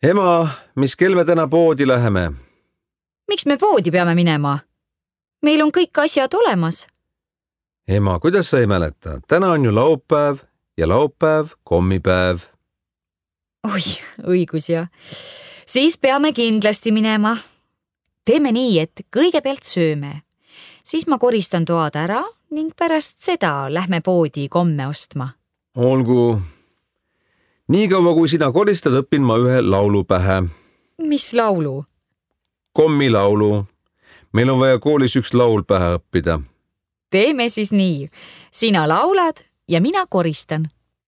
Ema, mis kell me täna poodi läheme? Miks me poodi peame minema? Meil on kõik asjad olemas. Ema, kuidas sa ei mäleta? Täna on ju laupäev ja laupäev kommipäev. Oi, õigus ja. Siis peame kindlasti minema. Teeme nii, et kõigepealt sööme. Siis ma koristan toad ära ning pärast seda lähme poodi komme ostma. Olgu. Nii kaua, kui sina koristad, õpin ma ühe laulu pähe. Mis laulu? Kommilaulu. Meil on vaja koolis üks laul pähe õppida. Teeme siis nii. Sina laulad ja mina koristan.